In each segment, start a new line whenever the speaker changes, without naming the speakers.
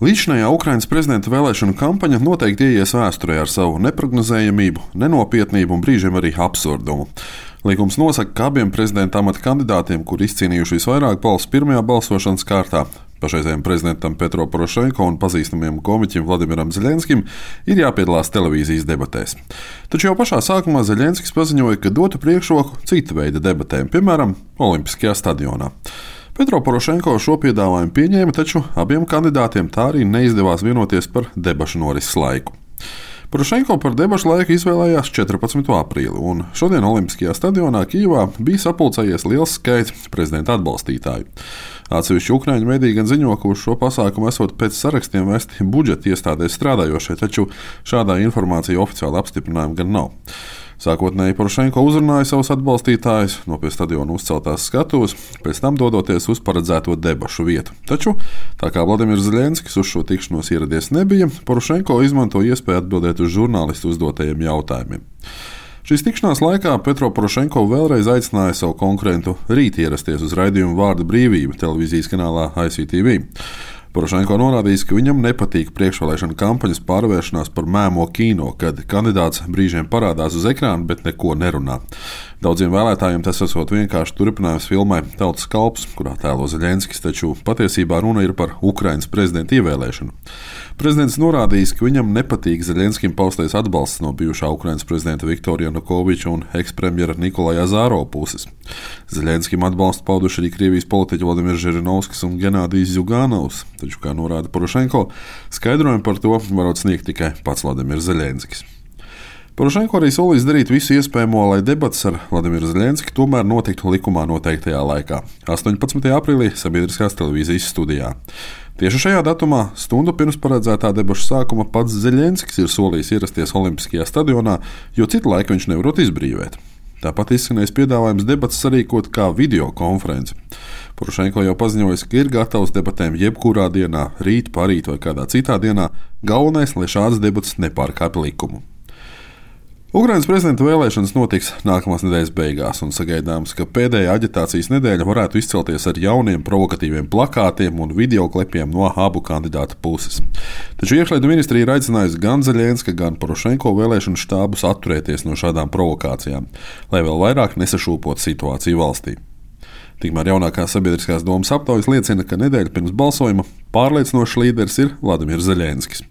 Līdzinājā Ukrainas prezidenta vēlēšanu kampaņa noteikti ieies vēsturē ar savu neprognozējamību, nenopietnību un brīžiem arī absurdumu. Likums nosaka, ka abiem prezidenta amata kandidātiem, kuri izcīnījuši visvairāk balsu pirmajā balsošanas kārtā, pašreizējiem prezidentam Petro Porošenko un pazīstamajam komiķim Vladimiram Zeļenskim, ir jāpiedalās televīzijas debatēs. Taču jau pašā sākumā Zeļenskis paziņoja, ka dotu priekšroku cita veida debatēm, piemēram, Olimpiskajā stadionā. Petro Porošenko šo piedāvājumu pieņēma, taču abiem kandidātiem tā arī neizdevās vienoties par debašu norises laiku. Porošenko par debašu laiku izvēlējās 14. aprīli, un šodien Olimpiskajā stadionā Kijevā bija sapulcējies liels skaits prezidenta atbalstītāju. Atsevišķi ukraiņu mediji gan ziņo, ka uz šo pasākumu esot pēc sarakstiem vesti budžeta iestādēs strādājošie, taču šādā informācija oficiāli apstiprinājuma gan nav. Sākotnēji Porošenko uzrunāja savus atbalstītājus no pie stadiona uzceltās skatuves, pēc tam dodoties uz paredzēto debašu vietu. Taču, tā kā Vladimirs Zeļenskis uz šo tikšanos ieradies nebija, Porošenko izmanto iespēju atbildēt uz žurnālistu uzdotajiem jautājumiem. Šīs tikšanās laikā Petro Porošenko vēlreiz aicināja savu konkurentu rīt ierasties uz raidījumu Vārda brīvība televīzijas kanālā ICTV. Porošenko norādījis, ka viņam nepatīk priekšvēlēšana kampaņas pārvēršanās par mēmo kino, kad kandidāts brīžiem parādās uz ekrāna, bet neko nerunā. Daudziem vēlētājiem tas esot vienkārši turpinājums filmai Tautas kalps, kurā tēlo Zeļenskis, taču patiesībā runa ir par Ukrainas prezidenta ievēlēšanu. Prezidents norādījis, ka viņam nepatīk Zeļenskim paustais atbalsts no bijušā Ukrainas prezidenta Viktora Janukoviča un ekspremjera Nikolaja Azārova puses. Zeļenskim atbalstu pauduši arī Krievijas politiķi Vladimirs Žirinovskis un Genādijs Zjuganovs. Taču, kā norāda Porošenko, skaidrojumu par to varot sniegt tikai pats Vladimirs Zeļenskis. Porošenko arī solīs darīt visu iespējamo, lai debates ar Vladimiru Zeļenski tomēr notiktu likumā noteiktajā laikā - 18. aprīlī sabiedriskās televīzijas studijā. Tieši šajā datumā, stundu pirms paredzētā debašu sākuma, pats Zeļenskis ir solījis ierasties Olimpiskajā stadionā, jo citu laiku viņš nevarot izbrīvēt. Tāpat izskanējis piedāvājums debates sarīkot kā video konferenci. Porošenko jau paziņojis, ka ir gatavs debatēm jebkurā dienā, rīt, parīt vai kādā citā dienā, galvenais, lai šādas debates nepārkāpj likumu. Ukrainas prezidenta vēlēšanas notiks nākamās nedēļas beigās, un sagaidāms, ka pēdējā aģitācijas nedēļa varētu izcelties ar jauniem provokatīviem plakātiem un videoklepiem no abu kandidātu puses. Taču iekšlietu ministrija ir aicinājusi gan Zeļenska, gan Porošenko vēlēšanu štābus atturēties no šādām provokācijām, lai vēl vairāk nesašūpotu situāciju valstī. Tikmēr jaunākā sabiedriskās domas aptaujas liecina, ka nedēļu pirms balsojuma pārliecinošs līderis ir Vladimirs Zeļenskis,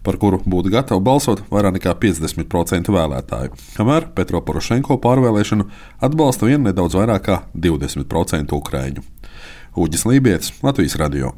par kuru būtu gatavi balsot vairāk nekā 50% vēlētāju, kamēr Petro Porošenko pārvēlēšanu atbalsta vien nedaudz vairāk kā 20% ukraiņu. Uģis Lībietis, Latvijas radio.